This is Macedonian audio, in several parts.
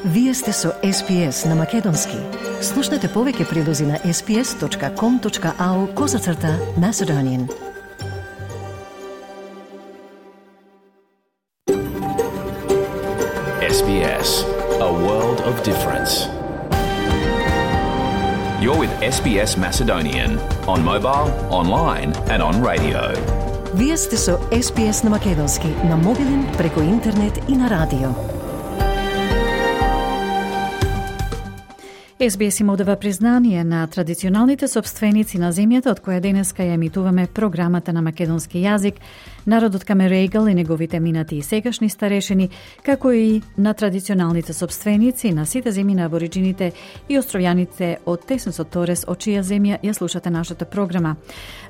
Вие сте со SPS на Македонски. Слушнете повеќе прилози на sps.com.au/Macedonian. SBS, a world of difference. You're with SBS Macedonian on mobile, online and on radio. Вие сте со SPS на Македонски на мобилен, преку интернет и на радио. SBS им одава признание на традиционалните собственици на земјата од која денеска ја емитуваме програмата на македонски јазик, народот Камерегал и неговите минати и сегашни старешини, како и на традиционалните собственици на сите земји на абориджините и островјаните од Тесенсот Торес, од чија земја ја слушате нашата програма.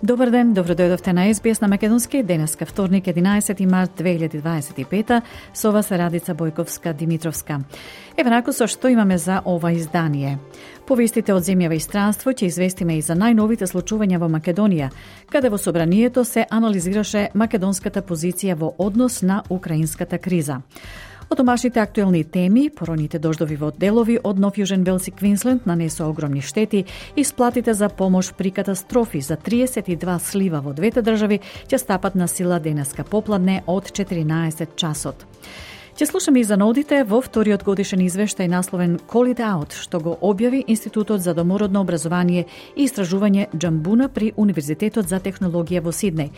Добар ден, добродојдовте на SBS на македонски, денеска вторник 11 март 2025, со вас Радица Бојковска-Димитровска. Еве нако со што имаме за ова издание. По вестите од земјава и странство ќе известиме и за најновите случувања во Македонија, каде во собранието се анализираше македонската позиција во однос на украинската криза. Од домашните актуелни теми, пороните дождови во делови од Нов Јужен Велс и Квинсленд нанесоа огромни штети и сплатите за помош при катастрофи за 32 слива во двете држави ќе стапат на сила денеска попладне од 14 часот. Ќе слушаме и за наудите во вториот годишен извештај насловен Call It Out, што го објави Институтот за домородно образование и истражување Джамбуна при Универзитетот за технологија во Сиднеј.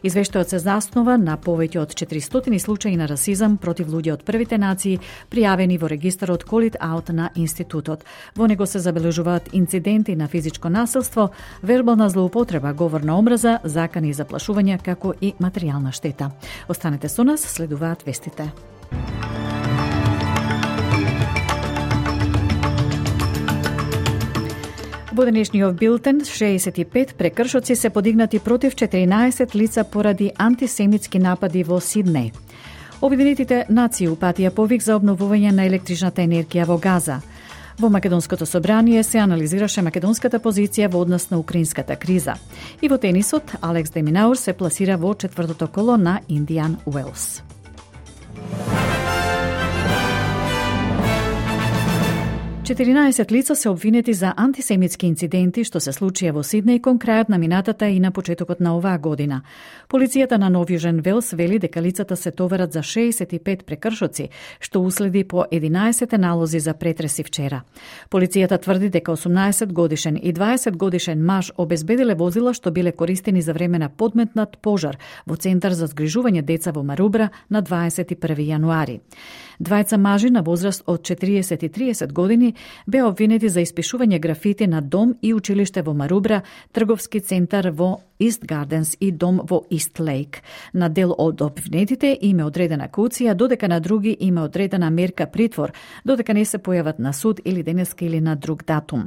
Извештајот се заснова на повеќе од 400 случаи на расизам против луѓе од првите нации, пријавени во регистарот Call It Out на Институтот. Во него се забележуваат инциденти на физичко насилство, вербална злоупотреба, говор на омраза, закани и заплашувања, како и материјална штета. Останете со нас, следуваат вестите. Во денешниот билтен, 65 прекршоци се подигнати против 14 лица поради антисемитски напади во Сиднеј. Обединетите нации упатија повик за обновување на електричната енергија во Газа. Во Македонското собрание се анализираше македонската позиција во однос на украинската криза. И во тенисот, Алекс де Минаур се пласира во четвртото коло на Индиан Уелс. 14 лица се обвинети за антисемитски инциденти што се случија во Сиднеј кон крајот на минатата и на почетокот на оваа година. Полицијата на Нов Јужен Велс вели дека лицата се товарат за 65 прекршоци, што уследи по 11 налози за претреси вчера. Полицијата тврди дека 18 годишен и 20 годишен маж обезбедиле возила што биле користени за време на подметнат пожар во Центар за згрижување деца во Марубра на 21 јануари. Двајца мажи на возраст од 40 и 30 години беа обвинети за испишување графити на дом и училиште во Марубра, трговски центар во Ист Гарденс и дом во Ист Лейк. На дел од обвинетите им е одредена кауција, додека на други им е одредена мерка притвор, додека не се појават на суд или денеска или на друг датум.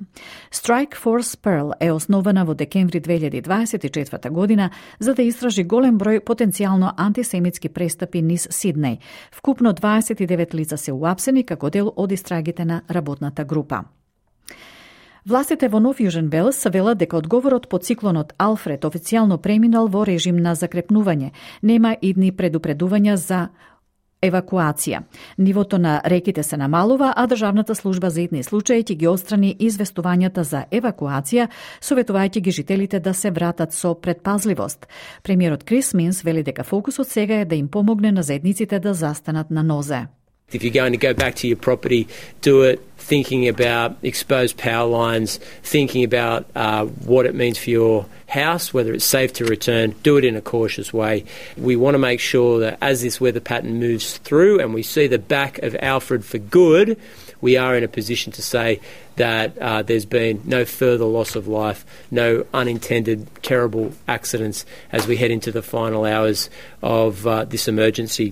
Strike Force Pearl е основана во декември 2024 година за да истражи голем број потенцијално антисемитски престапи низ Сиднеј. Вкупно 29 лица се уапсени како дел од истрагите на работната група. Властите во Нов Јужен Велс велат дека одговорот по циклонот Алфред официјално преминал во режим на закрепнување. Нема идни предупредувања за евакуација. Нивото на реките се намалува, а Државната служба за итни случаи ќе ги отстрани известувањата за евакуација, советувајќи ги жителите да се вратат со предпазливост. Премиерот Крис Минс вели дека фокусот сега е да им помогне на заедниците да застанат на нозе. If you're going to go back to your property, do it thinking about exposed power lines, thinking about what it means for your house, whether it's safe to return, do it in a cautious way. We want to make sure that as this weather pattern moves through and we see the back of Alfred for good, we are in a position to say that there's been no further loss of life, no unintended terrible accidents as we head into the final hours of this emergency.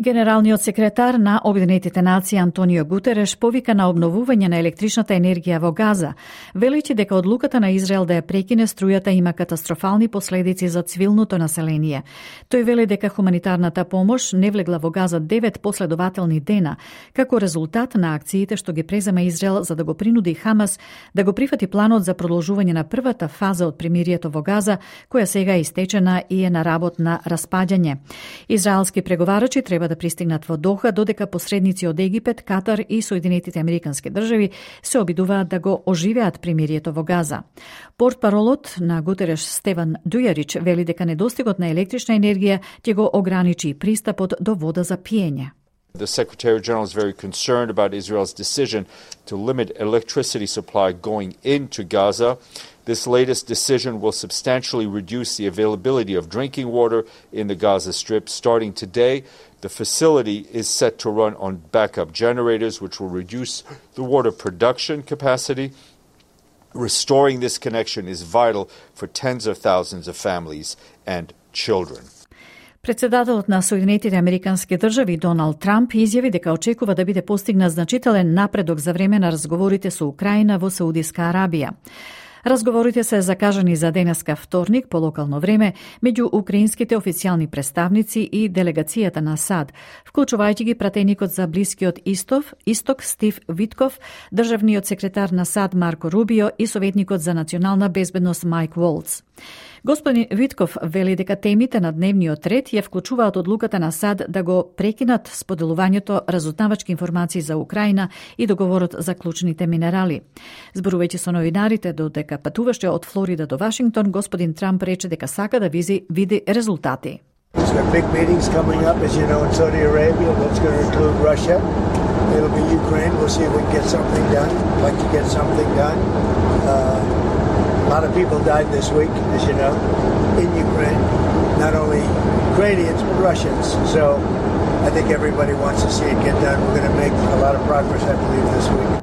Генералниот секретар на Обединетите нации Антонио Гутереш повика на обновување на електричната енергија во Газа, велејќи дека одлуката на Израел да ја прекине струјата има катастрофални последици за цивилното население. Тој вели дека хуманитарната помош не влегла во Газа 9 последователни дена, како резултат на акциите што ги презема Израел за да го принуди Хамас да го прифати планот за продолжување на првата фаза од примирието во Газа, која сега е истечена и е на работ на распаѓање. Израелски преговарачи треба треба да пристигнат во Доха, додека посредници од Египет, Катар и Соединетите американски држави се обидуваат да го оживеат примирието во Газа. Портпаролот на Гутереш Стеван Дујарич вели дека недостигот на електрична енергија ќе го ограничи пристапот до вода за пиење. The Secretary General is very concerned about Israel's decision to limit electricity supply going into Gaza. This latest decision will substantially reduce the availability of drinking water in the Gaza Strip. Starting today, the facility is set to run on backup generators, which will reduce the water production capacity. Restoring this connection is vital for tens of thousands of families and children. Председателот на Соединетите американски држави Доналд Трамп изјави дека очекува да биде постигнат значителен напредок за време на разговорите со Украина во Саудиска Арабија. Разговорите се закажани за денеска вторник по локално време меѓу украинските официјални представници и делегацијата на САД, вклучувајќи ги пратеникот за Блискиот Исток Стив Витков, државниот секретар на САД Марко Рубио и советникот за национална безбедност Майк Волц. Господин Витков вели дека темите на дневниот ред ја вклучуваат одлуката на САД да го прекинат споделувањето разузнавачки информации за Украина и договорот за клучните минерали. Зборувајќи со новинарите додека патуваше од Флорида до Вашингтон, господин Трамп рече дека сака да види резултати. Big meetings coming up, as you know, in Saudi Arabia. That's going to include Russia. It'll be Ukraine. We'll see if we can get something done. I'd like to get something done. A lot of people died this week, as you know, in Ukraine. Not only Ukrainians, but Russians. So I think everybody wants to see it get done. We're going to make a lot of progress, I believe, this week.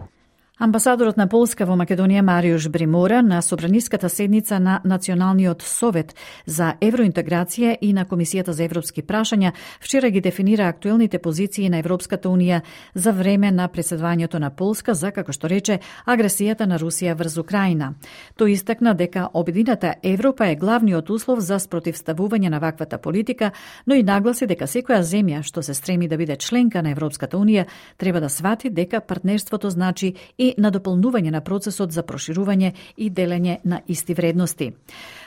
Амбасадорот на Полска во Македонија Мариуш Бримора на собраниската седница на Националниот совет за евроинтеграција и на Комисијата за европски прашања вчера ги дефинира актуелните позиции на Европската унија за време на преседавањето на Полска за, како што рече, агресијата на Русија врз Украина. Тој истакна дека обединета Европа е главниот услов за спротивставување на ваквата политика, но и нагласи дека секоја земја што се стреми да биде членка на Европската унија треба да свати дека партнерството значи и на дополнување на процесот за проширување и делење на исти вредности.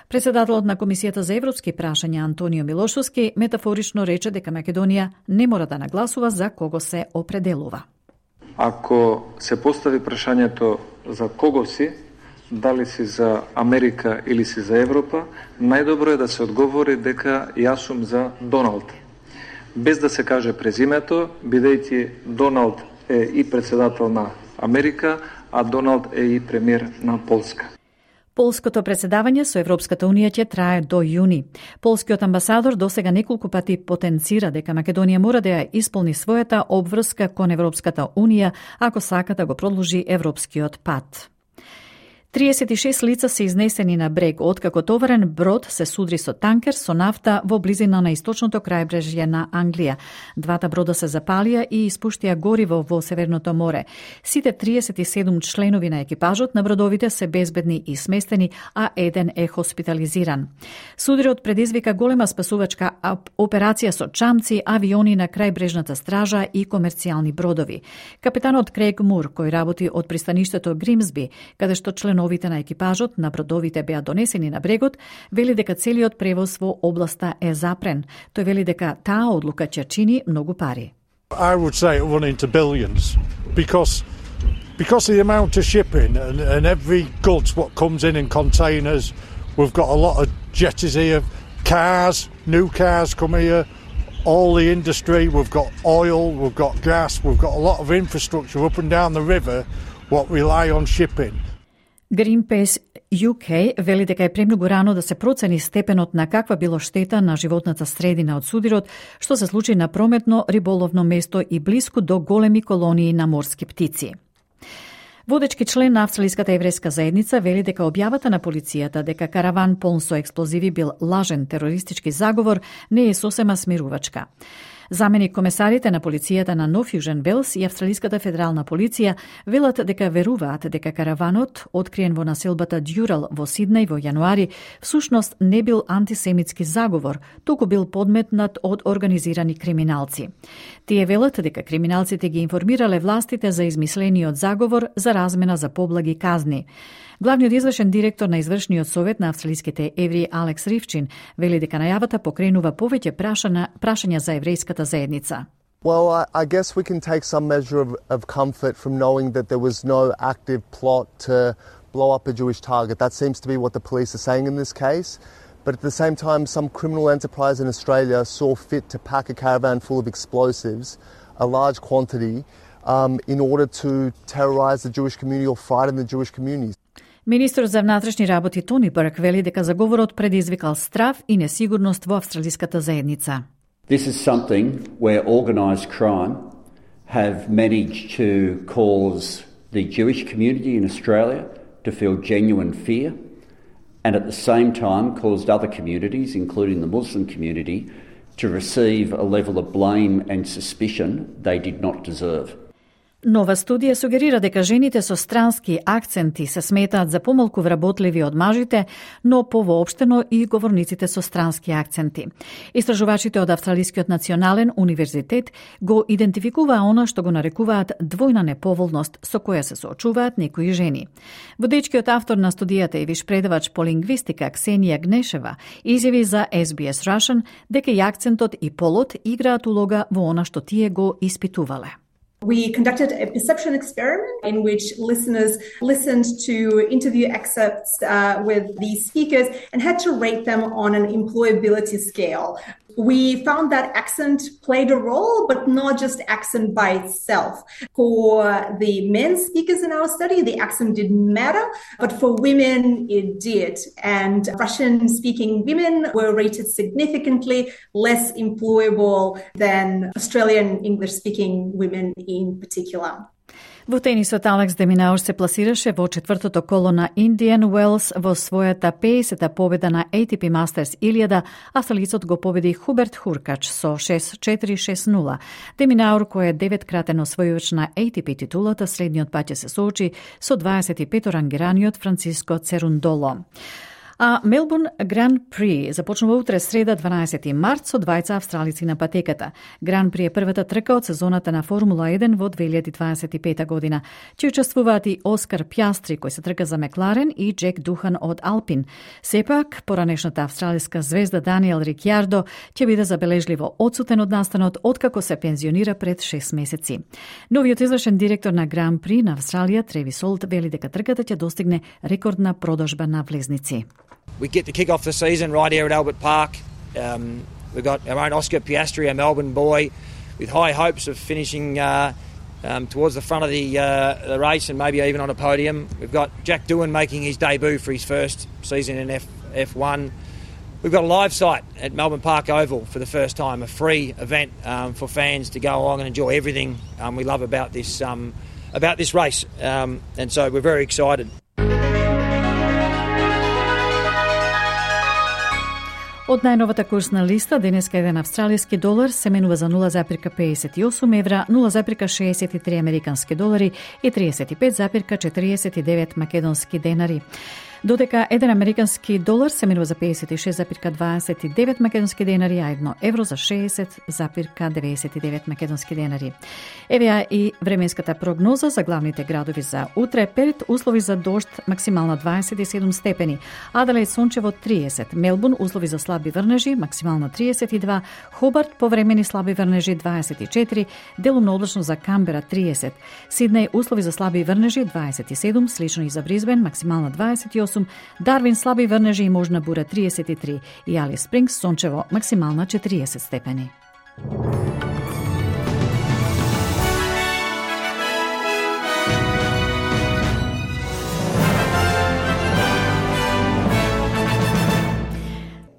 Председателот на Комисијата за европски прашања Антонио Милошовски метафорично рече дека Македонија не мора да нагласува за кого се определува. Ако се постави прашањето за кого си, дали си за Америка или си за Европа, најдобро е да се одговори дека јас сум за Доналд. Без да се каже презимето, бидејќи Доналд е и председател на Америка, а Доналд е и премиер на Полска. Полското председавање со Европската унија ќе трае до јуни. Полскиот амбасадор досега неколку пати потенцира дека Македонија мора да ја исполни својата обврска кон Европската унија ако сака да го продолжи европскиот пат. 36 лица се изнесени на брег откако товарен брод се судри со танкер со нафта во близина на источното крајбрежје на Англија. Двата брода се запалија и испуштија гориво во Северното море. Сите 37 членови на екипажот на бродовите се безбедни и сместени, а еден е хоспитализиран. Судрот предизвика голема спасувачка операција со чамци, авиони на крајбрежната стража и комерцијални бродови. Капитанот Крейг Мур, кој работи од пристаништето Гримсби, каде што членовите на екипажот на бродовите беа донесени на брегот, вели дека целиот превоз во областа е запрен. Тој вели дека таа одлука ќе чини многу пари. I would say it run into billions because of the amount of shipping and every goods what comes in containers. We've got a lot of jetties here, cars, new cars come here, all the industry, we've got oil, we've got gas, we've got a lot of infrastructure up and down the river what rely on shipping. Greenpeace UK вели дека е премногу рано да се процени степенот на каква било штета на животната средина од судирот, што се случи на прометно риболовно место и блиску до големи колонии на морски птици. Водечки член на австралиската еврејска заедница вели дека објавата на полицијата дека караван полн со експлозиви бил лажен терористички заговор не е сосема смирувачка. Заменик комесарите на полицијата на Нов Јужен Велс и Австралиската федерална полиција велат дека веруваат дека караванот, откриен во населбата Дјурал во Сиднеј во јануари, всушност не бил антисемитски заговор, туку бил подметнат од организирани криминалци. Тие велат дека криминалците ги информирале властите за измислениот заговор за размена за поблаги казни. Главниот извршен директор на извршниот совет на австралиските евреи Алекс Ривчин вели дека најавата покренува повеќе прашања за еврејската заедница. Well, I guess we can take some measure of comfort from knowing that there was no active plot to blow up a Jewish target. That seems to be what the police are saying in this case. But at the same time, some criminal enterprise in Australia saw fit to pack a caravan full of explosives, a large quantity, in order to terrorise the Jewish community or frighten the Jewish communities. Министрот за внатрешни работи Тони Бърк вели дека заговорот предизвикал страв и несигурност во австралиската заедница. This is something where organised crime have managed to cause the Jewish community in Australia to feel genuine fear, and at the same time caused other communities, including the Muslim community, to receive a level of blame and suspicion they did not deserve. Нова студија сугерира дека жените со странски акценти се сметаат за помалку вработливи од мажите, но повоопштено и говорниците со странски акценти. Истражувачите од Австралискиот национален универзитет го идентификуваа она што го нарекуваат двојна неповолност со која се соочуваат некои жени. Водечкиот автор на студијата и виш предавач по лингвистика Ксенија Гнешева изјави за SBS Russian дека и акцентот и полот играат улога во она што тие го испитувале. We conducted a perception experiment in which listeners listened to interview excerpts with these speakers and had to rate them on an employability scale. We found that accent played a role, but not just accent by itself. For the men speakers in our study, the accent didn't matter, but for women, it did. And Russian-speaking women were rated significantly less employable than Australian English-speaking women in particular. Во тенисот Алекс де Минаур се пласираше во четвртото коло на Индиан Уелс во својата 50-та победа на ATP Masters 1000. Австралицот го победи Хуберт Хуркач со 6-4-6-0. Де Минаур, кој е 9-кратен освојувач на ATP титулата, следниот пат ќе се соочи со 25-рангираниот Франциско Церундоло. А Мелбурн Гран При започнува утре среда 12 март со двајца австралици на патеката. Гран При е првата трка од сезоната на Формула 1 во 2025 година. Ќе учествуваат и Оскар Пјастри, кој се трка за Мекларен, и Джек Духан од Алпин. Сепак, поранешната австралиска звезда Даниел Рикјардо ќе биде забележливо одсутен од настанот откако се пензионира пред 6 месеци. Новиот извршен директор на Гран При на Австралија, Тревис Олт, вели дека трката ќе достигне рекордна продажба на влезници. We get to kick off the season right here at Albert Park. We've got our own Oscar Piastri, a Melbourne boy, with high hopes of finishing towards the front of the race and maybe even on a podium. We've got Jack Doohan making his debut for his first season in F1. We've got a live site at Melbourne Park Oval for the first time, a free event for fans to go along and enjoy everything we love about this race. And so we're very excited. Од најновата курсна листа, денеска еден австралиски долар се менува за 0,58 евра, 0,63 американски долари и 35,49 македонски денари. Додека еден американски долар се менува за 56,29 македонски денари, а 1 евро за 60,99 македонски денари. Еве и временската прогноза за главните градови за утре. Перт услови за дожд, максимална 27 степени. Аделаид сончево 30, Мелбурн услови за слаби врнежи, максимална 32, Хобарт повремени слаби врнежи 24, делумно облачно за Камбера 30, Сиднеј услови за слаби врнежи 27, слично и за Бризбен, максимална 28, Дарвин слаби врнежи и можна бура 33 и Алис Спрингс сончево максимална 40 степени.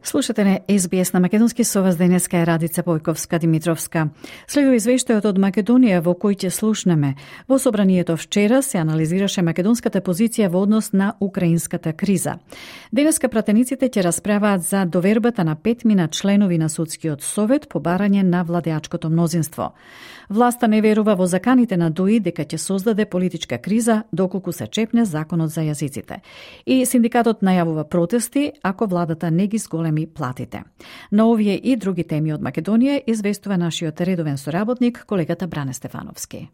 Слушате на SBS на македонски, со вас денеска е Радица Бојковска-Димитровска. Следува извештајот од Македонија во кој ќе слушнеме. Во собранието вчера се анализираше македонската позиција во однос на украинската криза. Денеска пратениците ќе расправаат за довербата на 5 членови на Судскиот совет по барање на владеачкото мнозинство. Власта не верува во заканите на ДОИ дека ќе создаде политичка криза доколку се чепне законот за јазиците. И синдикатот најавува протести ако владата не ги зголеми платите. На овие и други теми од Македонија известува нашиот редовен соработник, колегата Бране Стефановски.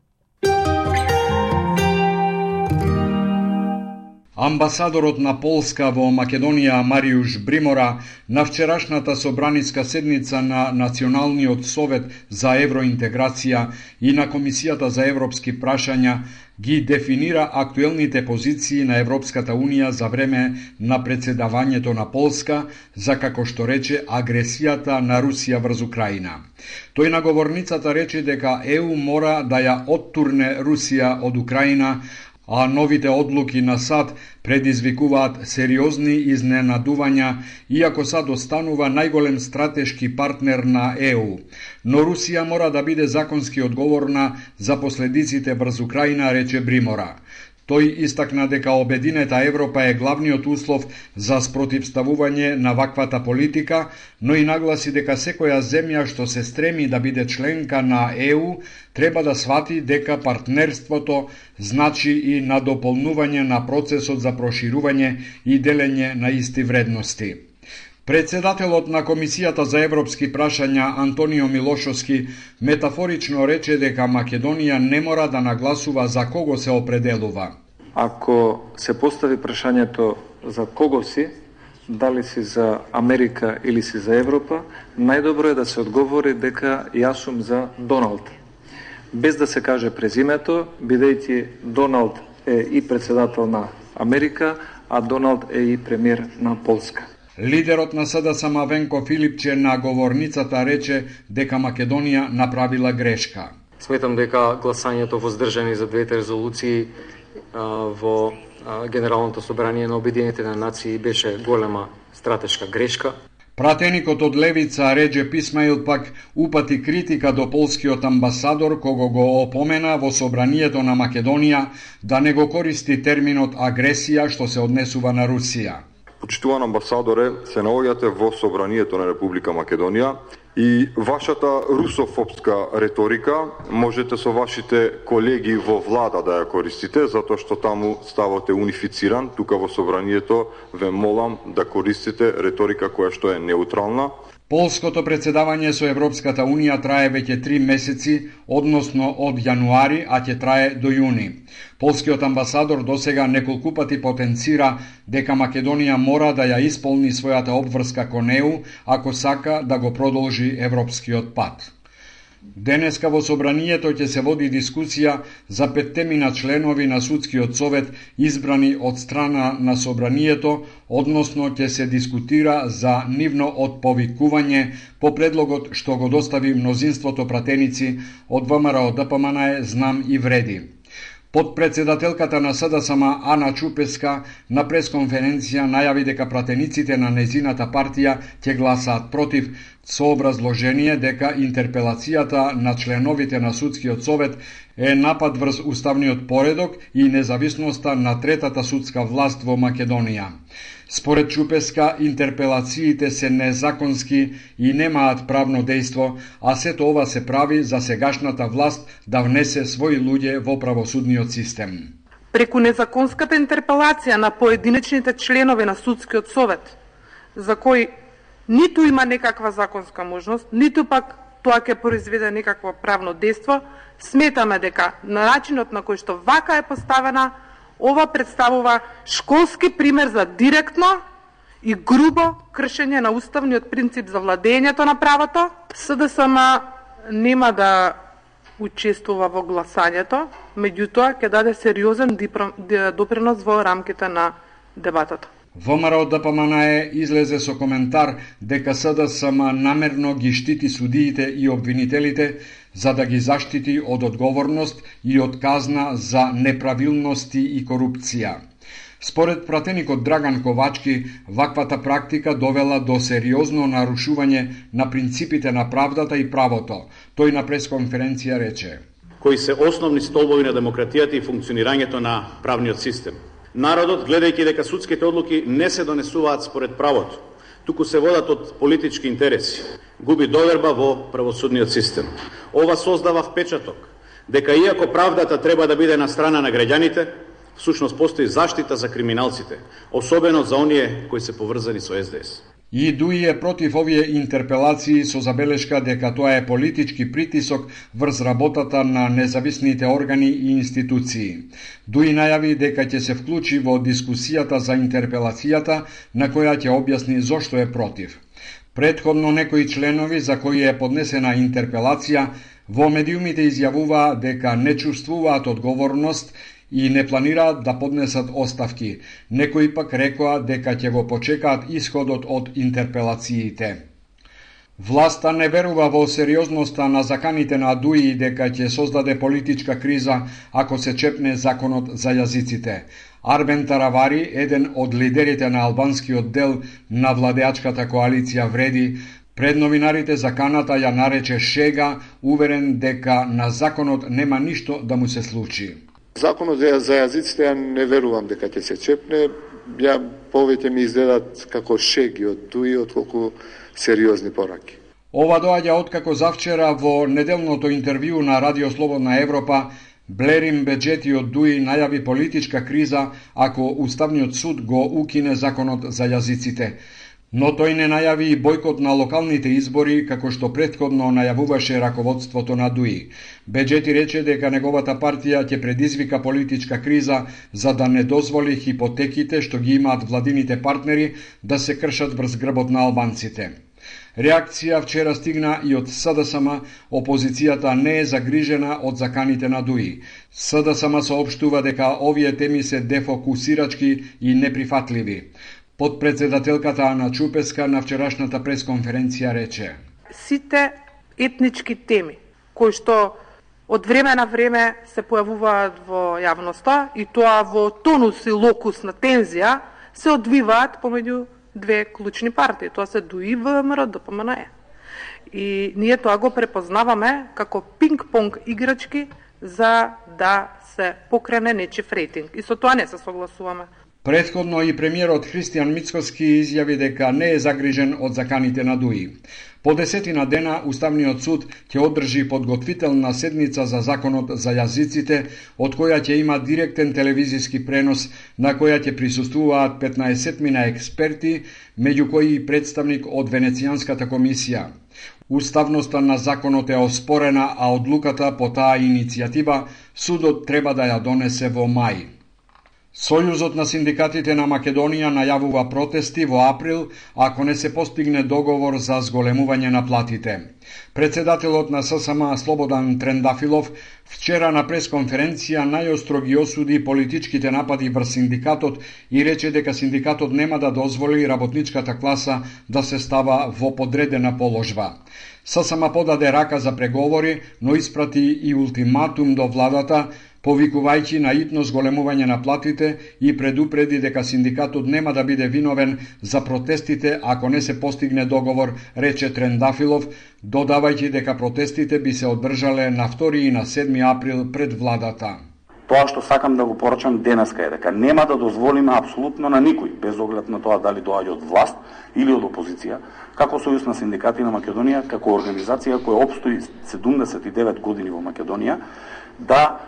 Амбасадорот на Полска во Македонија Мариуш Бримора на вчерашната собраниска седница на Националниот совет за евроинтеграција и на Комисијата за европски прашања ги дефинира актуелните позиции на Европската Унија за време на председавањето на Полска за, како што рече, агресијата на Русија врз Украина. Тој на говорницата рече дека ЕУ мора да ја оттурне Русија од Украина, а новите одлуки на САД предизвикуваат сериозни изненадувања, иако САД останува најголем стратешки партнер на ЕУ. Но Русија мора да биде законски одговорна за последиците врз Украина, рече Бримора. Тој истакна дека обединета Европа е главниот услов за спротивставување на ваквата политика, но и нагласи дека секоја земја што се стреми да биде членка на ЕУ треба да свати дека партнерството значи и надополнување на процесот за проширување и делење на исти вредности. Председателот на Комисијата за европски прашања Антонио Милошовски метафорично рече дека Македонија не мора да нагласува за кого се определува. Ако се постави прашањето за кого си, дали си за Америка или си за Европа, најдобро е да се одговори дека јас сум за Доналд. Без да се каже презимето, бидејќи Доналд е и председател на Америка, а Доналд е и премиер на Полска. Лидерот на СДСМ Венко Филипче на говорницата рече дека Македонија направила грешка. Сметам дека гласањето воздржани за двете резолуции во Генералното собрание на Обединетите нации беше голема стратешка грешка. Пратеникот од левица Реджеп Исмаил пак упати критика до полскиот амбасадор, кого го опомена во собранието на Македонија да не го користи терминот агресија што се однесува на Русија. Почитуван амбасадоре, се наоѓате во собранието на Република Македонија и вашата русофобска реторика можете со вашите колеги во влада да ја користите, затоа што таму ставате унифициран. Тука во собранието ве молам да користите реторика која што е неутрална. Полското председавање со Европската Унија трае веќе 3 месеци, односно од јануари, а ќе трае до јуни. Полскиот амбасадор досега неколку пати потенцира дека Македонија мора да ја исполни својата обврска кон ЕУ, ако сака да го продолжи европскиот пат. Денеска во собранието ќе се води дискусија за 5 членови на судскиот совет избрани од страна на собранието, односно ќе се дискутира за нивно отповикување по предлогот што го достави мнозинството пратеници од ВМРО ДПМН Знам и Вреди. Подпредседателката на СДСМ Ана Чупеска на пресконференција најави дека пратениците на незината партија ќе гласаат против, со образложение дека интерпелацијата на членовите на судскиот совет е напад врз уставниот поредок и независноста на третата судска власт во Македонија. Според Чупеска, интерпелациите се незаконски и немаат правно дејство, а сето ова се прави за сегашната власт да внесе своји луѓе во правосудниот систем. Преку незаконската интерпелација на поединечните членови на судскиот совет, за кои ниту има некаква законска можност, ниту пак тоа ќе произведе некакво правно дејство, сметаме дека на начинот на кој што вака е поставена, ова представува школски пример за директно и грубо кршење на уставниот принцип за владењето на правото. СДСМ нема да учествува во гласањето, меѓутоа ќе даде сериозен допринос во рамките на дебатата. ВМРО ДПМН излезе со коментар дека СДСМ намерно ги штити судиите и обвинителите за да ги заштити од одговорност и од казна за неправилности и корупција. Според пратеникот Драган Ковачки, ваквата практика довела до сериозно нарушување на принципите на правдата и правото. Тој на пресконференција рече: кои се основни столбови на демократијата и функционирањето на правниот систем. Народот, гледајќи дека судските одлуки не се донесуваат според правото, туку се водат од политички интереси, губи доверба во правосудниот систем. Ова создава впечаток дека иако правдата треба да биде на страна на граѓаните, всушност постои заштита за криминалците, особено за оние кои се поврзани со СДС. И Дуи е против овие интерпелации со забелешка дека тоа е политички притисок врз работата на независните органи и институции. Дуи најави дека ќе се вклучи во дискусијата за интерпелацијата, на која ќе објасни зошто е против. Претходно некои членови за кои е поднесена интерпелација во медиумите изјавуваа дека не чувствуваат одговорност и не планираат да поднесат оставки. Некои пак рекоа дека ќе го почекаат исходот од интерпелациите. Власта не верува во сериозноста на заканите на Дуи дека ќе создаде политичка криза ако се чепне законот за јазиците. Арбен Таравари, еден од лидерите на албанскиот дел на владеачката коалиција Вреди, пред новинарите заканата ја нарече шега, уверен дека на законот нема ништо да му се случи. Законот за јазиците ја не верувам дека ќе се чепне, ја повеќе ми изгледат како шеги од Дуи отколку сериозни пораки. Ова доаѓа откако завчера во неделното интервју на Радио Слободна Европа Блерим Беџети од Дуи најави политичка криза ако Уставниот суд го укине законот за јазиците. Но тој не најави и бојкот на локалните избори, како што претходно најавуваше раководството на Дуи. Беџети рече дека неговата партија ќе предизвика политичка криза за да не дозволи хипотеките што ги имаат владините партнери да се кршат врз грбот на албанците. Реакција вчера стигна и од СДСМ, опозицијата не е загрижена од заканите на Дуи. СДСМ соопштува дека овие теми се дефокусирачки и неприфатливи. Подпредседателката Ана Чупеска на вчерашната пресконференција рече: Сите етнички теми кои што од време на време се појавуваат во јавноста и тоа во тонус и локус на тензија се одвиваат помеѓу две клучни партии. Тоа се Дуи, ВМРО, ДПМНЕ. И ние тоа го препознаваме како пинг-понг играчки за да се покрене нечив рейтинг. И со тоа не се согласуваме. Претходно и премиерот Христијан Мицкоски изјави дека не е загрижен од заканите на Дуи. По 10 дена Уставниот суд ќе одржи подготвителна седница за законот за јазиците, од која ќе има директен телевизиски пренос, на која ќе присуствуваат 15 експерти, меѓу кои и представник од Венецијанската комисија. Уставноста на законот е оспорена, а одлуката по таа иницијатива судот треба да ја донесе во мај. Сојузот на синдикатите на Македонија најавува протести во април ако не се постигне договор за зголемување на платите. Председателот на ССМ Слободан Трендафилов вчера на пресконференција најостро ги осуди политичките напади врз синдикатот и рече дека синдикатот нема да дозволи работничката класа да се става во подредена положба. ССМ подаде рака за преговори, но испрати и ултиматум до владата, повикувајќи на итно зголемување на платите и предупреди дека синдикатот нема да биде виновен за протестите ако не се постигне договор, рече Трендафилов, додавајќи дека протестите би се одржале на 2 и на 7 април пред владата. Тоа што сакам да го порачам денеска е дека нема да дозволиме апсолутно на никој, без оглед на тоа дали доаѓа од власт или од опозиција, како Сојуз на синдикати на Македонија, како организација која опстои 79 години во Македонија, да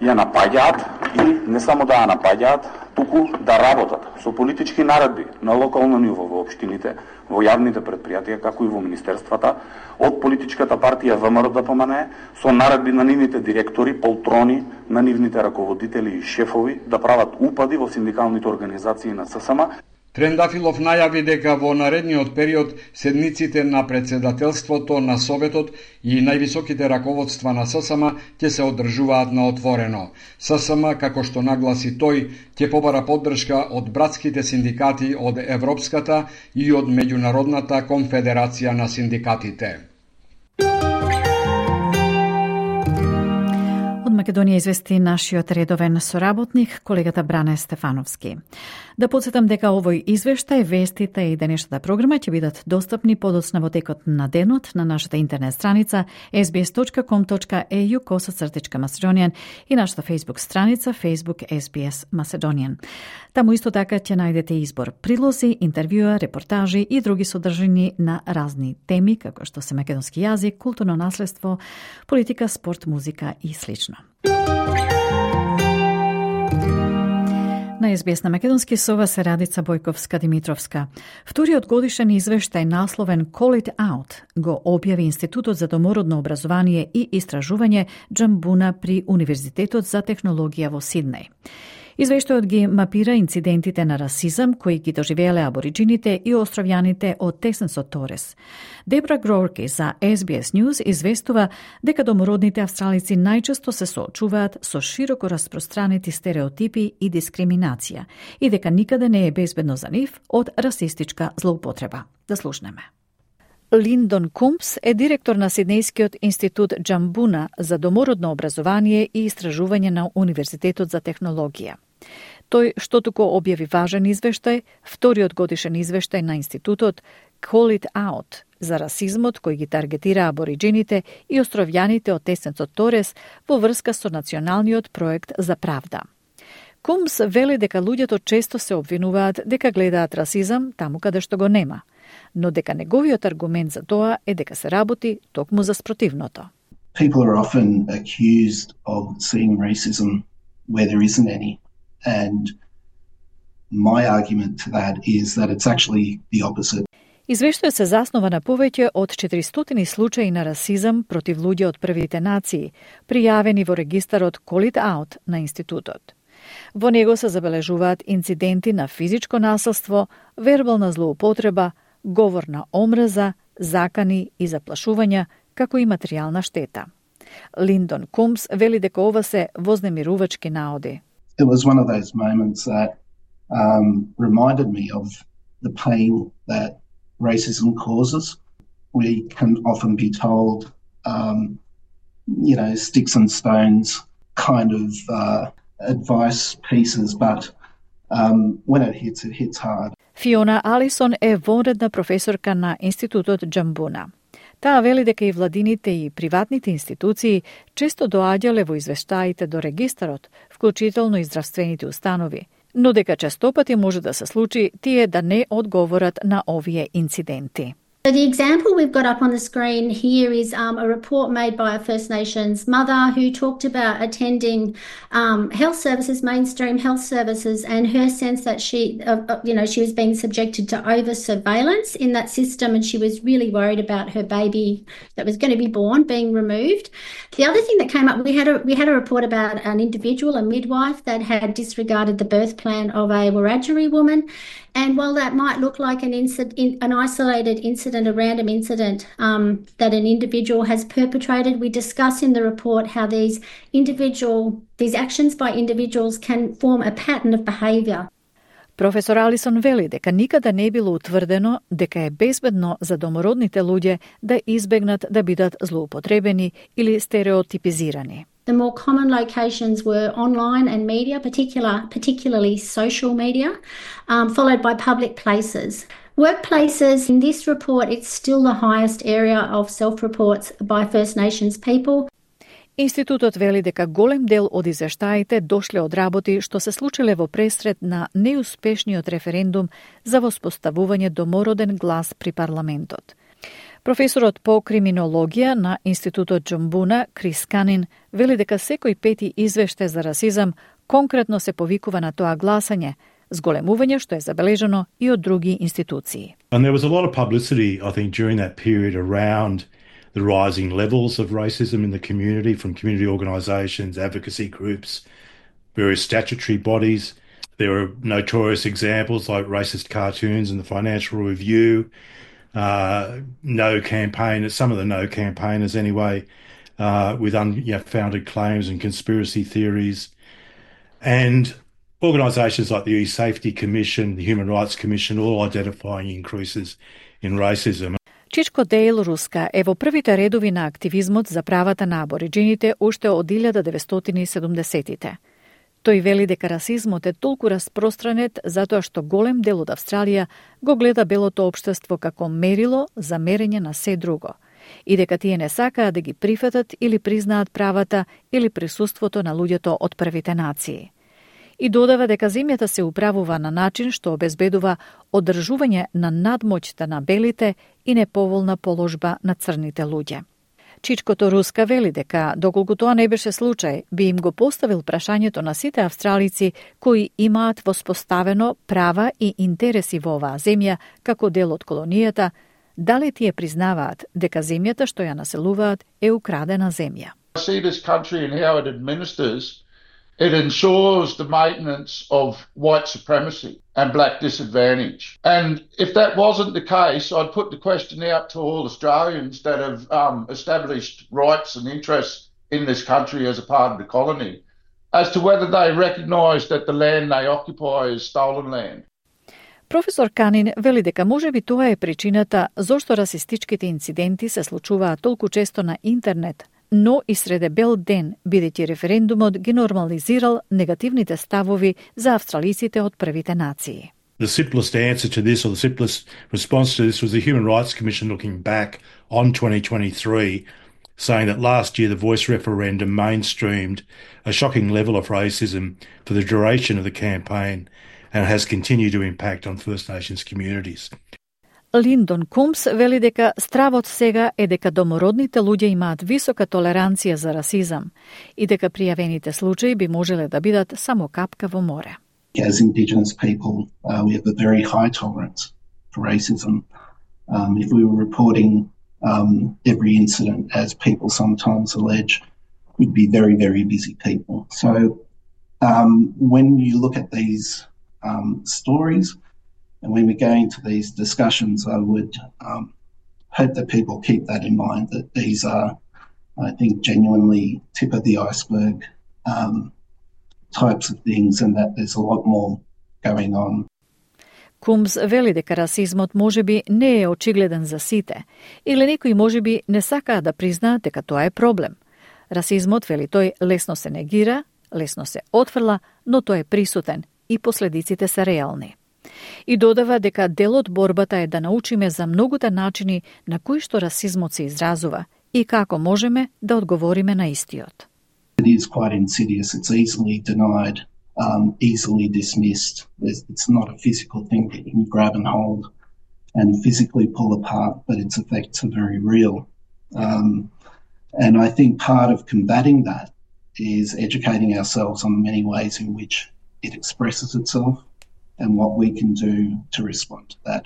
ја напаѓаат и не само да ја напаѓаат, туку да работат со политички наредби на локално ниво во општините, во јавните предпријатија, како и во министерствата, од политичката партија ВМРО-ДПМНЕ, со наредби на нивните директори, полтрони, на нивните раководители и шефови да прават упади во синдикалните организации на ССМ. Трендафилов најави дека во наредниот период седниците на председателството на Советот и највисоките раководства на ССМ ќе се одржуваат на отворено. ССМ, како што нагласи тој, ќе побара поддршка од братските синдикати од Европската и од Меѓународната конфедерација на синдикатите. Македонија извести нашиот редовен соработник, колегата Бране Стефановски. Да подсетам дека овој извештај, вестите и денешната програма ќе бидат достапни подоцна во текот на денот на нашата интернет страница sbs.com.au/Macedonian и нашата Facebook страница Facebook SBS Macedonian. Таму исто така ќе најдете избор прилози, интервјуа, репортажи и други содржини на разни теми, како што се македонски јазик, културно наследство, политика, спорт, музика и слично. На СБС на македонски со вас е Радица Бојковска-Димитровска. Вториот годишен извештај насловен Call It Out го објави Институтот за домородно образование и истражување Джамбуна при Универзитетот за технологија во Сиднеј. Извештајот ги мапира инцидентите на расизам кои ги доживееле абориджините и островјаните од Тесенсот Торес. Дебра Грорки за SBS News известува дека домородните австралици најчесто се соочуваат со широко распространети стереотипи и дискриминација и дека никаде не е безбедно за нив од расистичка злоупотреба. Да слушнеме. Линдон Кумпс е директор на Сиднејскиот институт Джамбуна за домородно образование и истражување на Универзитетот за технологија. Тој штотуку објави важен извештај, вториот годишен извештај на институтот Call It Out за расизмот кој ги таргетира абориджините и островјаните од Тесенсот Торес во врска со националниот проект за правда. Кумс вели дека луѓето често се обвинуваат дека гледаат расизам таму каде што го нема, но дека неговиот аргумент за тоа е дека се работи токму за спротивното. People are often accused of seeing racism where there isn't any, and my argument to that is that it's actually the opposite. Извештајот се заснова на повеќе од 400 случаи на расизам против луѓе од првите нации, пријавени во регистарот Call It Out на институтот. Во него се забележуваат инциденти на физичко насилство, вербална злоупотреба, говор на омраза, закани и заплашувања, како и материјална штета. Линдон Кумс вели дека ова се вознемирувачки наоди. It was one of those moments that reminded me of the pain that racism causes. We can often be told, sticks and stones kind of advice pieces, but when it hits hard. Фиона Алисон е вонредна професорка на Институтот Джамбуна. Таа вели дека и владините и приватните институции често доаѓале во извештаите до регистарот, вклучително и здравствените установи, но дека честопати може да се случи тие да не одговорат на овие инциденти. So the example we've got up on the screen here is a report made by a First Nations mother who talked about attending health services, mainstream health services, and her sense that she was being subjected to over surveillance in that system, and she was really worried about her baby that was going to be born being removed. The other thing that came up, we had a report about an individual, a midwife, that had disregarded the birth plan of a Wiradjuri woman. And while that might look like an isolated incident, a random incident that an individual has perpetrated, we discuss in the report how these actions by individuals can form a pattern of behaviour. Професор Алисон вели дека никаде не било утврдено дека е безбедно за домородните луѓе да избегнат да бидат злоупотребени или стереотипизирани. The more common locations were online and media, particularly social media, followed by public places. Workplaces, in this report, it's still the highest area of self-reports by First Nations people. Институтот вели дека голем дел од извештаите дошле од работи што се случиле во пресред на неуспешниот референдум за воспоставување домороден глас при парламентот. Професорот по криминологија на Институтот Джамбуна, Крис Канин, вели дека секој пети извештај за расизам конкретно се повикува на тоа гласање, зголемување што е забележано и од други институции. And there was a lot of publicity, I think, during that period around the rising levels of racism in the community, from community organisations, advocacy groups, various statutory bodies. There are notorious examples like racist cartoons in the Financial Review, no campaigners, some of the no campaigners anyway, with unfounded claims and conspiracy theories. And organisations like the E-Safety Commission, the Human Rights Commission, all identifying increases in racism. Чичко Дейл Руска е во првите редови на активизмот за правата на абориджините уште од 1970-тите. Тој вели дека расизмот е толку распространет затоа што голем дел од Австралија го гледа белото општество како мерило за мерење на се друго и дека тие не сакаат да ги прифатат или признаат правата или присуството на луѓето од првите нации. И додава дека земјата се управува на начин што обезбедува одржување на надмоќта на белите и неповолна положба на црните луѓе. Чичко Торуска вели дека, доколку тоа не беше случај, би им го поставил прашањето на сите австралици кои имаат воспоставено права и интереси во оваа земја како дел од колонијата, дали тие признаваат дека земјата што ја населуваат е украдена земја. I see this country and how it administers, it ensures the maintenance of white supremacy and black disadvantage. And if that wasn't the case, I'd put the question out to all Australians that have established rights and interests in this country as a part of the colony, as to whether they recognise that the land they occupy is stolen land. Професор Канин вели дека можеби тоа е причината зошто расистичките инциденти се случуваат толку често на интернет, но и среде бел ден, бидејќи референдумот ги нормализирал негативните ставови за австралиците од првите нации. The simplest answer to this, or the simplest response to this, was the Human Rights Commission looking back on 2023, saying that last year the Voice referendum mainstreamed a shocking level of racism for the duration of the campaign and has continued to impact on First Nations communities. Линдон Кумс вели дека стравот сега е дека домородните луѓе имаат висока толеранција за расизам и дека пријавените случаи би можеле да бидат само капка во море. As Indigenous people, we have a very high tolerance for racism. If we were reporting every incident, as people sometimes allege, we'd be very, very busy people. So when you look at these stories, and when we go into these discussions, I would hope that people keep that in mind, that these are, I think, genuinely tip of the iceberg types of things, and that there's a lot more going on. Кумс вели дека расизмот можеби не е очигледен за сите, или некои можеби не сакаат да признаат дека тоа е проблем. Расизмот, вели тој, лесно се негира, лесно се отфрла, но тој е присутен и последиците се реални. И додава дека дел од борбата е да научиме за многуте начини на кои што расизмот се изразува и како можеме да одговориме на истиот. It is quite insidious. It's easily denied, easily dismissed. It's not a physical thing that you can grab and hold and physically pull apart, but its effects are very real. And I think part of combating that is educating ourselves on the many ways in which it expresses itself and what we can do to respond to that.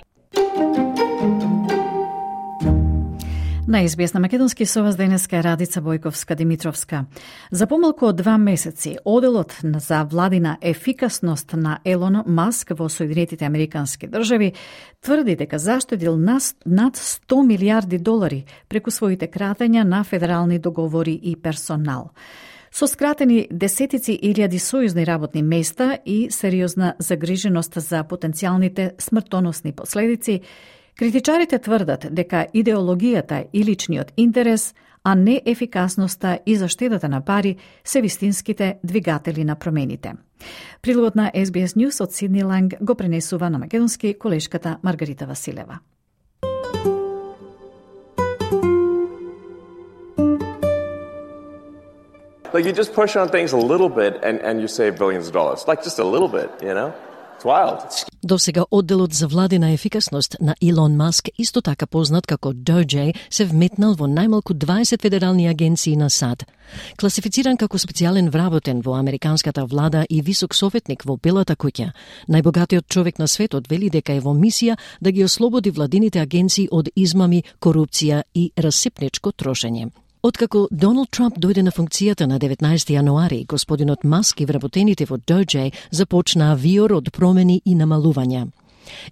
На SBS на македонски со вас денеска е Радица Бојковска-Димитровска. За помалку од 2 месеци, оделот за владина ефикасност на Елон Маск во Соединетите Американски држави тврди дека заштедил над 100 милиарди долари преку своите кратења на федерални договори и персонал. Со скратени десетици илјади сојузни работни места и сериозна загриженост за потенцијалните смртоносни последици, критичарите тврдат дека идеологијата и личниот интерес, а не ефикасноста и заштедата на пари се вистинските двигатели на промените. Прилогот на SBS News од Сидни Ланг го пренесува на македонски колешката Маргарита Василева. Like you just push on things a little bit and you save billions of dollars. Like just a little bit, you know? It's wild. Досега одделот за владина ефикасност на Илон Маск, исто така познат како DOJ, се вметнал во најмалку 20 федерални агенции на САД. Класифициран како специјален вработен во американската влада и висок советник во Белата куќа, најбогатиот човек на светот вели дека е во мисија да ги ослободи владините агенции од измами, корупција и расипничко трошење. Откако Доналд Трамп дојде на функцијата на 19 јануари, господинот Маск и вработените во DOJ започнаа виор од промени и намалувања.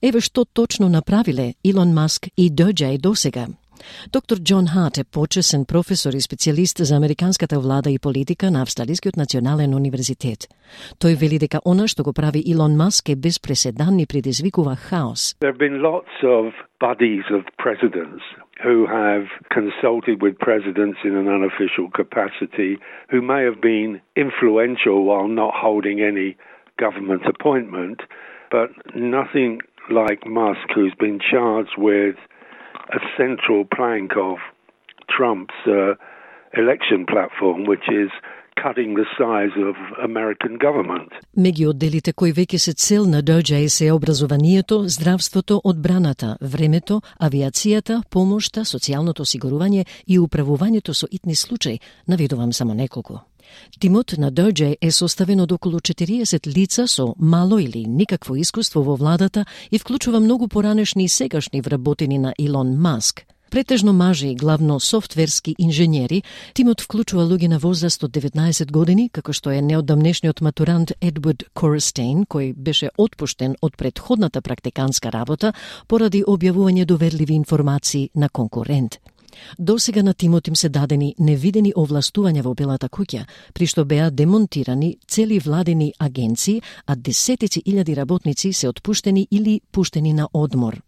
Еве што точно направиле Илон Маск и DOJ досега. Доктор Џон Харт е почесен професор и специјалист за американската влада и политика на Австралискиот национален универзитет. Тој вели дека она што го прави Илон Маск е без преседан и предизвикува хаос. There have been lots of buddies of presidents who have consulted with presidents in an unofficial capacity, who may have been influential while not holding any government appointment, but nothing like Musk, who's been charged with a central plank of Trump's election platform, which is cutting the size of American government. Меѓу одделите кои веќе се цел на DOJ се образованието, здравството, одбраната, времето, авиацијата, помошта, социјалното осигурување и управувањето со итни случаи, наведувам само неколку. Тимот на DOJ е составен од околу 40 лица со мало или никакво искуство во владата и вклучува многу поранешни и сегашни вработени на Илон Маск. Претежно мажи и главно софтверски инженери, тимот вклучува луѓе на возраст од 19 години, како што е неодамнешниот матурант Едвард Корстейн, кој беше отпуштен од претходната практиканска работа поради објавување доверливи информации на конкурент. Досега на тимот им се дадени невидени овластувања во Белата куќа, при што беа демонтирани цели владени агенции, а десетици илјади работници се отпуштени или пуштени на одмор.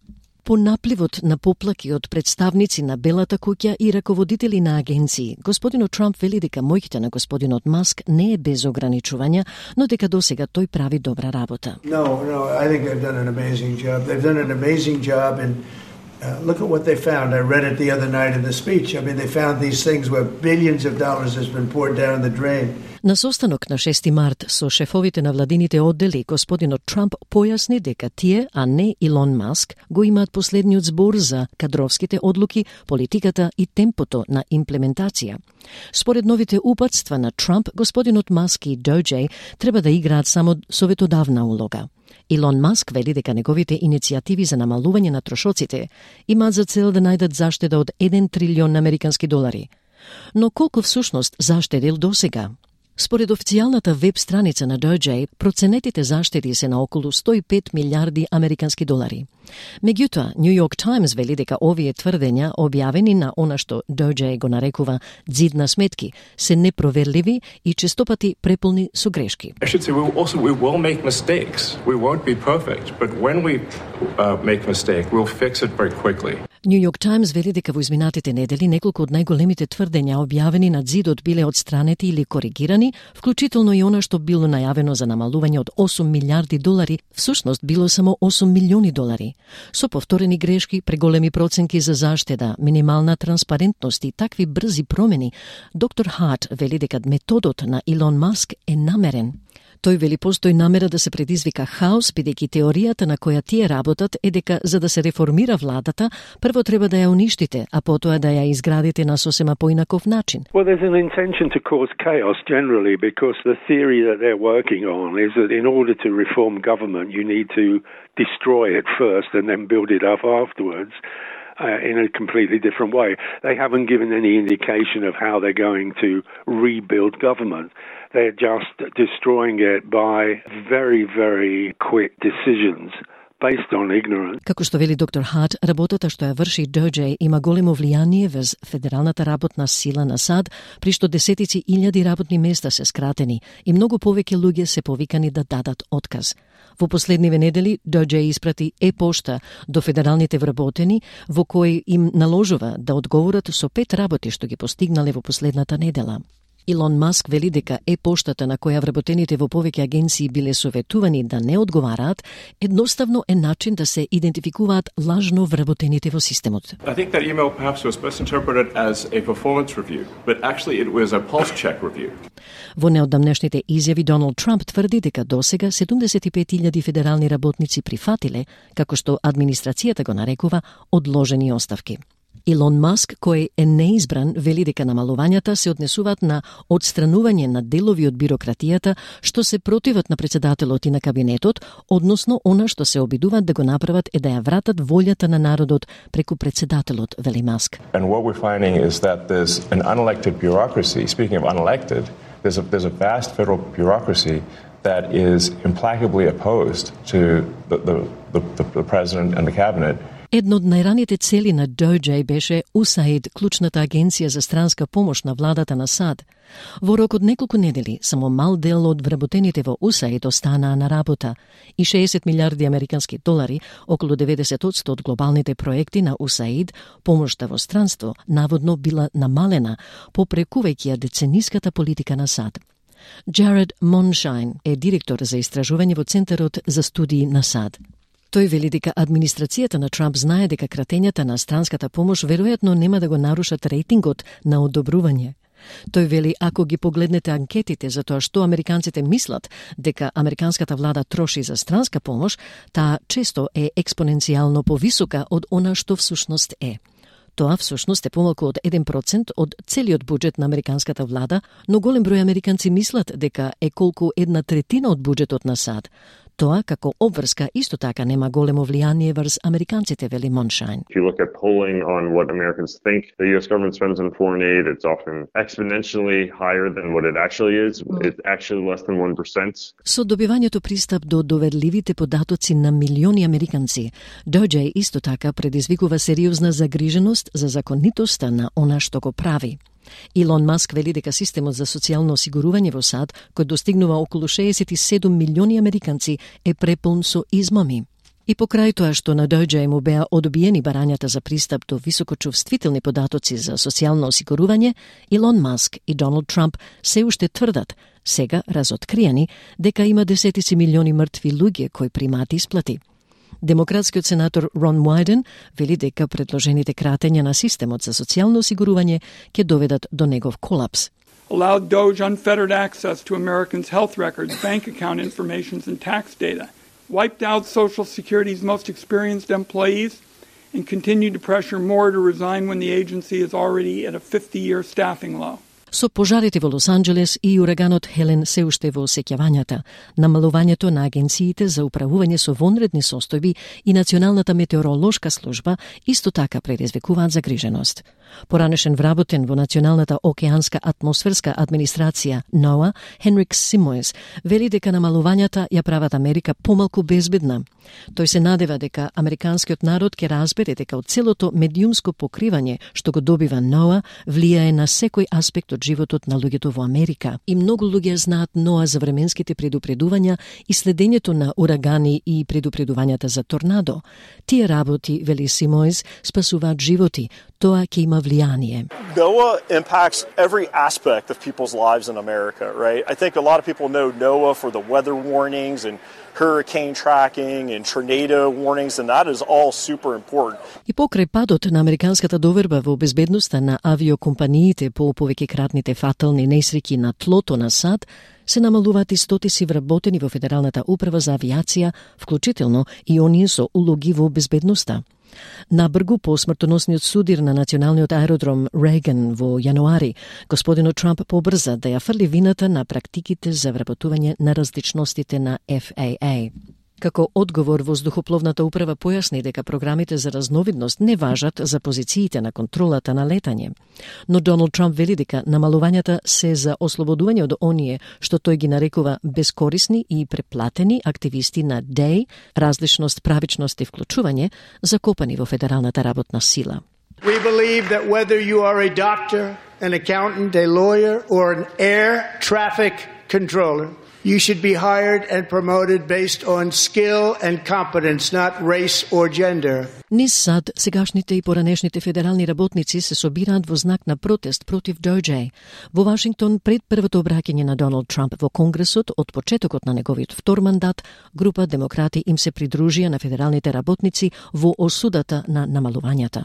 По напливот на поплаки од представници на Белата куќа и раководители на агенции, господинот Трамп вели дека моќта на господинот Маск не е без ограничувања, но дека досега тој прави добра работа. No, I think they've done an amazing job. They've done an amazing job and look at what they found. I read it the other night in the speech. I mean, they found these things where billions of dollars has been poured down the drain. На состанок на 6 март со шефовите на владините оддели, господинот Трамп појасни дека тие, а не Илон Маск, го имаат последниот збор за кадровските одлуки, политиката и темпото на имплементација. Според новите упатства на Трамп, господинот Маск и DOJ треба да играат само советодавна улога. Илон Маск вели дека неговите иницијативи за намалување на трошоците имаат за цел да најдат заштеда од 1 трилион американски долари. Но колку всушност заштедил досега? Според официјалната веб страница на DOJ, проценетите заштеди се на околу 105 милиарди американски долари. Меѓутоа, New York Times вели дека овие тврдења, објавени на она што DOJ го нарекува ѕид на сметки, се непроверливи и честопати преполни со грешки. I should say we will make mistakes. We won't be perfect, but when we make mistake, we'll fix it very quickly. New York Times вели дека во изминатите недели неколку од најголемите тврдења објавени на ѕидот биле отстранети или коригирани, вклучително и она што било најавено за намалување од 8 милиарди долари, всушност било само 8 милиони долари. Со повторени грешки, преголеми проценки за заштеда, минимална транспарентност и такви брзи промени, доктор Харт вели дека методот на Илон Маск е намерен. Тој вели постои намера да се предизвика хаос, бидејќи теоријата на која тие работат е дека за да се реформира владата, прво треба да ја уништите, а потоа да ја изградите на сосема поинаков начин. Well, there's an intention to cause chaos generally because the theory that they're working on is that in order to reform government, you need to destroy it first and then build it up afterwards. In a completely different way. They haven't given any indication of how they're going to rebuild government. They're just destroying it by very, very quick decisions based on ignorance. Како што вели доктор Харт, работата што ја врши DOJ има големо влијание врз федералната работна сила на САД, при што десетици илјади работни места се скратени и многу повеќе луѓе се повикани да дадат отказ. Во последниве недели DOJ испрати е-пошта до федералните вработени во кој им наложува да одговорат со 5 работи што ги постигнале во последната недела. Илон Маск вели дека е-поштата на која вработените во повеќе агенции биле советувани да не одговараат, едноставно е начин да се идентификуваат лажно вработените во системот. I think that email perhaps was misinterpreted as a performance review, but actually it was a pulse check review. Во неодамнешните изјави Доналд Трамп тврди дека досега 75.000 федерални работници прифатиле, како што администрацијата го нарекува, одложени оставки. Илон Маск, кој е неизбран, вели дека намалувањата се однесуваат на одстранување на делови од бирократијата што се противат на председателот и на кабинетот, односно она што се обидуваат да го направат е да ја вратат волјата на народот преку председателот, вели Маск. And what we're finding is that there's an unelected bureaucracy. Speaking of unelected, there's a vast federal bureaucracy that is implacably opposed to the president and the cabinet. Едно од најраните цели на DOJ беше USAID, клучната агенција за странска помош на владата на САД. Во рок од неколку недели, само мал дел од вработените во USAID останаа на работа и 60 милиарди американски долари, околу 90% од глобалните проекти на USAID, помошта во странство, наводно била намалена, попрекувајќи ја децениската политика на САД. Jared Monshine е директор за истражување во Центарот за студии на САД. Тој вели дека администрацијата на Трамп знае дека кратењата на странската помош веројатно нема да го нарушат рейтингот на одобрување. Тој вели ако ги погледнете анкетите за тоа што американците мислат дека американската влада троши за странска помош, таа често е експоненцијално повисока од она што всушност е. Тоа всушност е помалку од 1% од целиот буџет на американската влада, но голем број американци мислат дека е колку 1/3 од буџетот на САД. Тоа како обврска исто така нема големо влијание врз американците, вели Monshine. If you look at polling on what Americans think the U.S. government spends on foreign aid, it's often exponentially higher than what it actually is. It's actually less than 1%. Со добивањето пристап до доверливите податоци на милиони американци, Doge исто така предизвикува сериозна загриженост за законитоста на она што го прави. Илон Маск вели дека системот за социјално осигурување во САД, кој достигнува околу 67 милиони американци, е преполн со измами. И покрај тоа што на Doge му беа одбиени барањата за пристап до високочувствителни податоци за социјално осигурување, Илон Маск и Доналд Трамп се уште тврдат, сега разоткриени, дека има десетици милиони мртви луѓе кои примаат исплати. Демократскиот сенатор Рон Wyden вели дека предложените кратења на системот за социјално осигурување ќе доведат до негов колапс. Allowed Doge unfettered access to Americans' health records, bank account information and tax data, wiped out Social Security's most experienced employees, and continued to pressure more to resign when the agency is already at a 50-year staffing low. Со пожарите во Лос Анџелес и ураганот Хелен се уште во сеќавањата, намалувањето на агенциите за управување со вонредни состојби и Националната метеоролошка служба исто така предизвикуваат загриженост. Поранешен вработен во Националната океанска атмосферска администрација NOAA, Хенрик Симоес, вели дека намалувањата ја прават Америка помалку безбедна. Тој се надева дека американскиот народ ќе разбере дека од целото медиумско покривање што го добива NOAA влијае на секој аспект од животот на луѓето во Америка. И многу луѓе знаат NOAA за временските предупредувања и следењето на урагани и предупредувањата за торнадо. Тие работи, вели Симоес, спасуваат животи. Тоа ќе има влијание. NOAA impacts every aspect of people's lives in America, right? I think a lot of people know NOAA for the weather warnings and hurricane tracking and tornado warnings, and that is all super important. И покрај падот на американската доверба во безбедноста на авиокомпаниите по повеќекратните фатални несреќи на тлото на САД, се намалуваат и стотици вработени во Федералната управа за авиација, вклучително и оние со улоги во безбедноста. Набргу по смртоносниот судир на националниот аеродром Рейган во јануари, господинот Трамп побрза да ја фрли вината на практиките за вработување на различностите на FAA. Како одговор, воздухопловната управа појасни дека програмите за разновидност не важат за позициите на контролата на летање. Но Доналд Трамп вели дека намалувањата се за ослободување од оние што тој ги нарекува бескорисни и преплатени активисти на DEI, различност, правичност и вклучување, закопани во федералната работна сила. We believe that whether you are a doctor, an accountant, a lawyer, or an air traffic controller, you should be hired and promoted based on skill and competence, not race or gender. Низ САД, сегашните и поранешните федерални работници се собираат во знак на протест против Doge. Во Вашингтон, пред првото обраќање на Доналд Трамп во Конгресот од почетокот на неговиот втор мандат, група демократи им се придружија на федералните работници во осудата на намалувањата.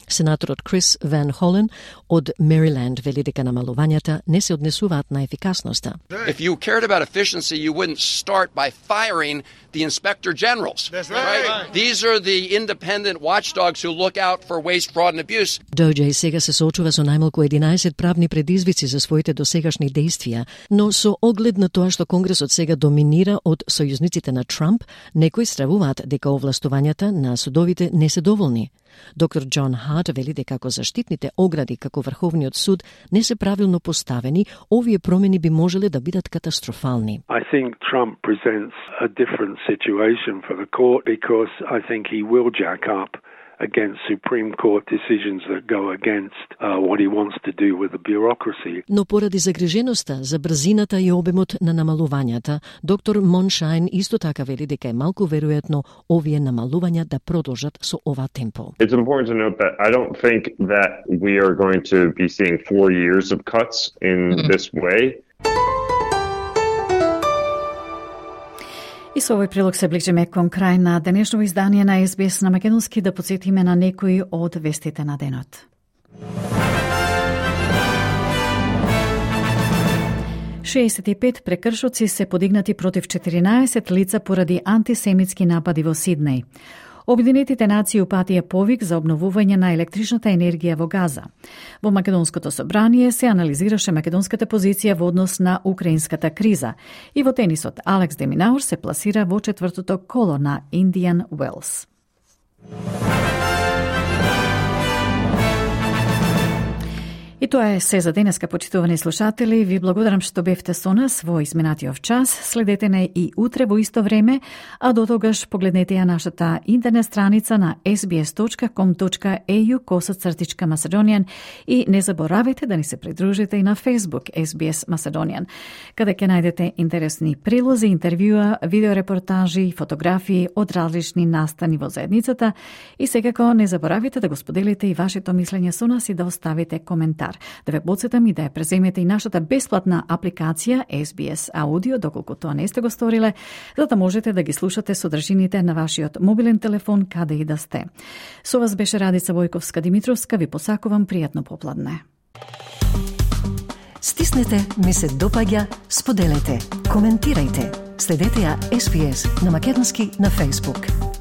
Сенаторот Крис Ван Холен од Мериленд вели дека намалувањата не се однесуваат на ефикасноста. If you cared about efficiency, you wouldn't start by firing the inspector generals. That's right. These are the independent watchdogs who look out for waste, fraud and abuse. Doge сега се соочува со најмалку 11 правни предизвици за своите досегашни действија, но со оглед на тоа што Конгресот сега доминира од сојузниците на Трамп, некои стравуваат дека овластувањата на судовите не се доволни. Доктор Џон Харт вели дека ако заштитните огради како Врховниот суд не се правилно поставени, овие промени би можеле да бидат катастрофални. I think Trump presents a different situation for the court because I think he will jack up against Supreme Court decisions that go against what he wants to do with the bureaucracy. Но поради загриженоста за брзината и обемот на намалувањата, доктор Monshine исто така вели дека е малку веројатно овие намалувања да продолжат со ова темпо. It's important to note that I don't think that we are going to be seeing 4 years of cuts in this way. И со овој прилог се ближиме кон крај на денешно издание на СБС на македонски, да потсетиме на некои од вестите на денот. 65 прекршоци се подигнати против 14 лица поради антисемитски напади во Сиднеј. Обединетите нации упатија повик за обновување на електричната енергија во Газа. Во Македонското собрание се анализираше македонската позиција во однос на украинската криза и во тенисот Алекс де Минаур се пласира во четвртото коло на Индиан Уелс. И тоа е се за денеска, почитувани слушатели. Ви благодарам што бевте со нас во изминатиот час. Следете не и утре во исто време, а до тогаш погледнете ја нашата интернет страница на sbs.com.au/Macedonian и не заборавајте да ни се придружите и на Facebook SBS Macedonian, каде ќе најдете интересни прилози, интервјуа, видеорепортажи, фотографии од различни настани во заедницата и секако не заборавајте да го споделите и вашето мислење со нас и да оставите коментар. Да ве потсетам и да ја преземете и нашата бесплатна апликација SBS Audio, доколку тоа не сте го сториле, за да можете да ги слушате содржините на вашиот мобилен телефон каде и да сте. Со вас беше Радица Војковска-Димитровска, ви посакувам пријатно попладне. Стиснете, ми се допаѓа, споделете, коментирајте. Следете ја SBS на македонски на Facebook.